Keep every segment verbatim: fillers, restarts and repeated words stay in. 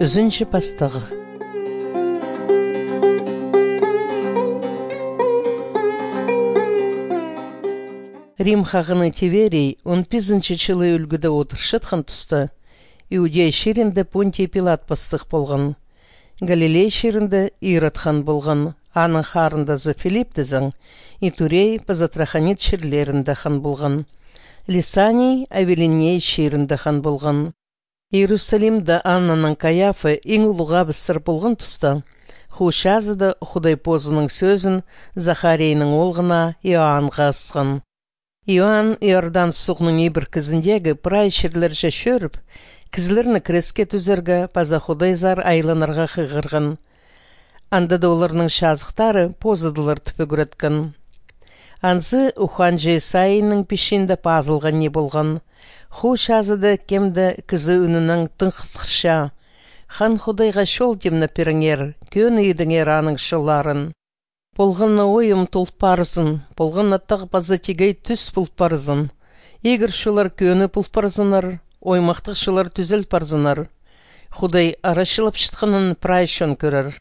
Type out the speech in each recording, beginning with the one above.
Ӱзінҷі пастағы. Рим хағаны Тиверий он пизінҷі чылы ӱлгӱде одырчатхан туста, Иудей чирінде Понтий Пилат пастығ полған. Галилей чирінде Ирод хан полған, аның харындазы Филипп тізең, Итурея паза Трахонит чирлерінде хан полған. Лисаний Авилиней чирінде хан полған. Иерусалимда Аннаның Каяфа иң улуғ абыстар полған туста, хуу чазыда Худай позының сӧзін Захарийның оолғына Иоаннға ысхан. Иоанн Иордан суғның ибіркізіндегі прай чирлерҷе чӧріп, кізілерні креске тӱзерге паза Худайзар айланарға хығырған. Анда даа оларның чазыхтары позыдылар тіп ӱгреткен. Анзы ухаанҷы Исаийның пічиинде пазылған ниме полған: «Хуу чазыда кем-де кізі ӱнінең тың хысхырча: „Хан Худайға чол тимнеп пиріңер, кӧні идіңер аның чолларын. Полған на ойым тол парзын, полған на тағ паза тигей тӱс пол парзын. Игір чоллар кӧні пол парзыннар, оймахтығ чоллар тӱзел парзыннар. Худай арачылапчатханын прай чон кӧрер“».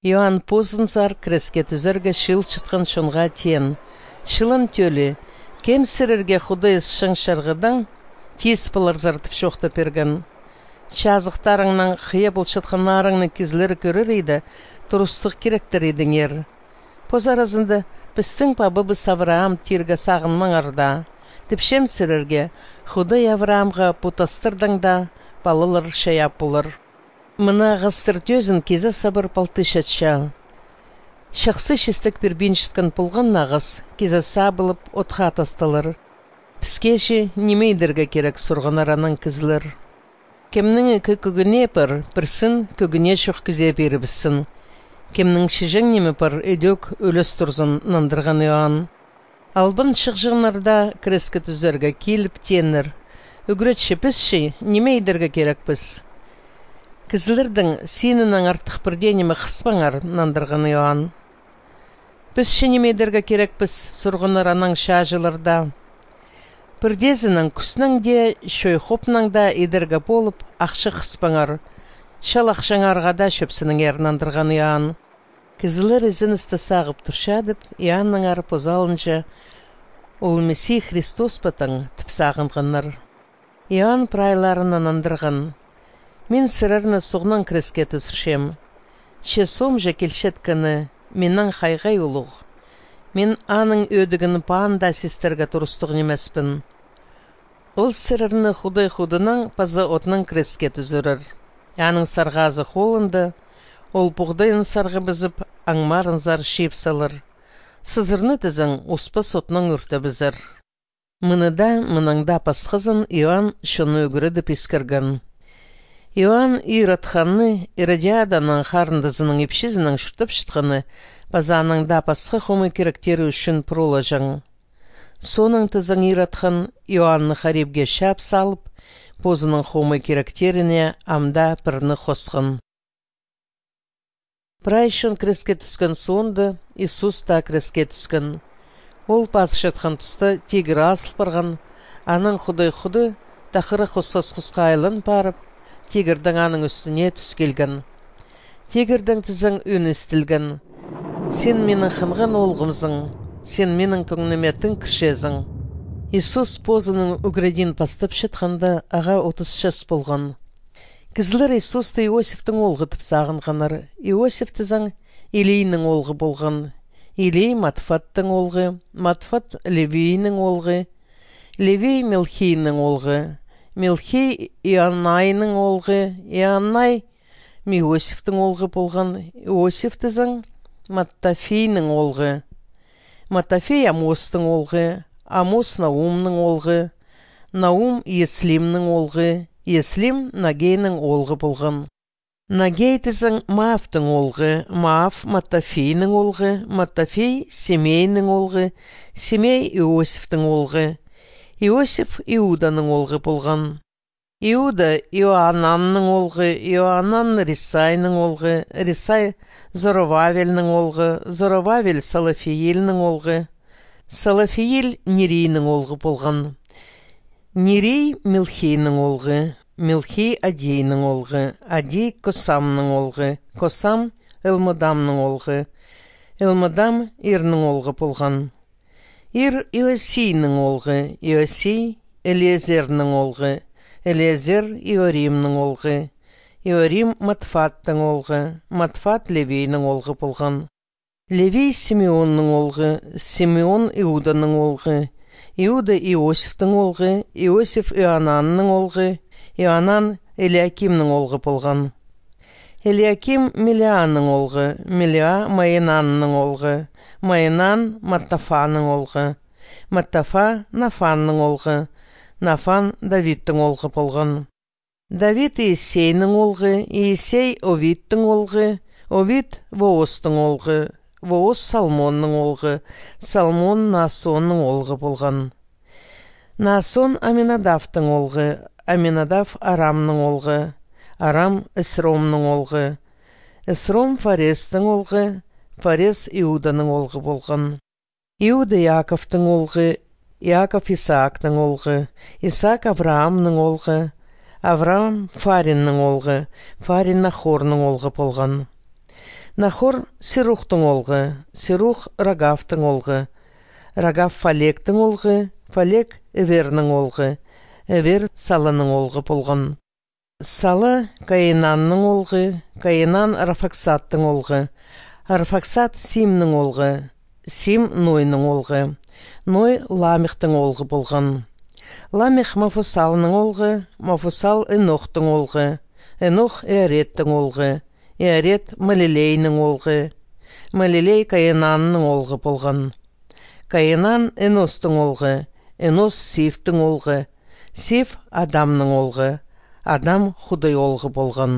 Иоанн позынзар креске тӱзерге чыылчатхан чонға теен: «Чылан тӧлі, кем сірерге Худай ысчаң чарғыдаң тиис поларзар тіп чоохтап пирген? Чазыхтарыңнаң хыйа полчатханнарыңны кізілер кӧрер иді, турыстығ киректер идіңер. Позы аразында: „Пістің пабабыс Авраам“ тирге сағынмаңар даа. Тіпчем сірерге: Худай Авраамға пу тастардаң даа палалар чайаап полар. Мына ағастар тӧзін кизе сабар палтыйчатча. Чахсы чистек пирбинчеткен полған на ағас кизе сабылып, отха тасталар. Піске че ниме идерге кирек?» — сурғаннар анаң кізілер. «Кемнің ікі кӧгенее пар, пірсін кӧгенее чох кізее пирібіссін. Кемнің чіҷең ниме пар, ідӧк ӱлес турзын», — нандырған Иоанн. Албан чығҷаңнар даа креске тӱзерге киліп, тееннер: «Ӱгретчі, піс че ниме идерге кирекпіс?» «Кізілернің синінең артых пір дее ниме хыспаңар», — нандырған Иоанн. «Піс че ниме идерге кирекпіс?» — сурғаннар анаң чааҷылар даа. «Пірдеезінең кӱснең дее, чой-хопнаң даа идерге полып, ахча хыспаңар. Чал ахчаңарға даа чӧпсініңер», — нандырған Иоанн. Кізілер ізеністі сағып турчадып, Иоаннаңар позы алынҷа: «Ол Мессий Христос па таң?» — тіп сағынғаннар. Иоанн прайларына нандырған: «Мин сірерні суғнаң креске тӱзірчем. Че соомҷа килчеткені миннең хай-хай улуғ. Мин аның ӧдігін паан даа систерге турыстығ нимеспін. Ол сірерні Худай худынаң паза отнаң креске тӱзірер. Аның сарғазы холында, ол пуғдайын сарғабызып, аңмарынзар чыып салар. Сызырны тізең, успас отнаң ӱртебізер». Мыны даа, мынаң даа пасхазын Иоанн чонны ӱгредіп искірген. Иоанн Ирод ханны, Иродиаданың харындазының ипчізінең чуртапчатханы паза анаң даа пасха хомай киректері ӱчӱн пурулаҷаң. Соонаң тізең Ирод хан Иоаннны харибге чаап салып, позының хомай киректеріне ам даа пірні хосхан. Прай чон креске тӱскен соонда Иисус таа креске тӱскен. Ол пазырчатхан туста тигір азыл парған, анаң Худай Худы тахырах осхас хусха айлан парып, тигірдең аның ӱстӱне тӱс килген. Тигірдең тізең ӱн истілген: «Сен минің хынған оолғымзың, сен минің кӧңніме тың кірчезің». Иисус позының ӱгредиин пастапчатханда ағаа отыс час полған. Кізілер Иисусты Иосифтің оолғы тіп сағынғаннар. Иосиф тізең Илийнің оолғы полған. Илий Матфаттың оолғы, Матфат Левийнің оолғы, Левий Милхийнің оолғы, Милхий Иоаннайның оолғы, Иоаннай Иосифтің оолғы полған. Иосиф тізең Маттафийнің оолғы, Маттафий Амостың оолғы, Амос Наумның оолғы, Наум Ислимнің оолғы, Ислим Нагейнің оолғы полған. Нагей тізең Маафтың оолғы, Мааф Маттафийнің оолғы, Маттафий Симейнің оолғы, Симей Иосифтің оолғы, Иосиф Иуданың оолғы полған. Иуда Иоананның оолғы, Иоанан Рисайның оолғы, Рисай Зоровавельнің оолғы, Зоровавель Салафиилнің оолғы, Салафиил Нирийнің оолғы полған. Нирий Милхийнің оолғы, Милхий Аддийнің оолғы, Аддий Косамның оолғы, Косам Элмодамның оолғы, Элмодам Ирнің оолғы полған. Ир Иосийнің оолғы, Иосий Элиэзернің оолғы, Элиэзер Иоримның оолғы, Иорим Матфаттың оолғы, Матфат Левийнің оолғы полған. Левий Симеонның оолғы, Симеон Иуданың оолғы, Иуда Иосифтің оолғы, Иосиф Иоананның оолғы, Иоанан Элиакимнің оолғы полған. Элиаким Милианың оолғы, Милиа Майнанның оолғы, Майнан Маттафаның оолғы, Маттафа Нафанның оолғы, Нафан Давидтің оолғы полған. Давид Иессейнің оолғы, Иессей Овидтің оолғы, Овид Воостың оолғы, Воос Салмонның оолғы, Салмон Наасонның оолғы полған. Наасон Аминадавтың оолғы, Аминадав Арамның оолғы, Арам Эсромның оолғы, Эсром Фарестің оолғы, Фарес Иуданың оолғы полған. Иуда Иаковтың оолғы, Иаков Исаактың оолғы, Исаак Авраамның оолғы, Авраам Фариннің оолғы, Фарин Нахорның оолғы полған. Нахор Серухтың оолғы, Серух Рагавтың оолғы, Рагав Фалектің оолғы, Фалек Эвернің оолғы, Эвер Саланың оолғы полған. Сала Каинанның оолғы, Каинан Арфаксадтың оолғы, Арфаксад Симнің оолғы, Сим Нойның оолғы, Ной Ламехтің оолғы полған. Ламех Мафусалның оолғы, Мафусал Енохтың оолғы, Енох Иареттің оолғы, Иарет Малилейнің оолғы, Малилей Каинанның оолғы полған. Каинан Еностың оолғы, Енос Сивтің оолғы, Сив Адамның оолғы, Адам Худай оолғы полған.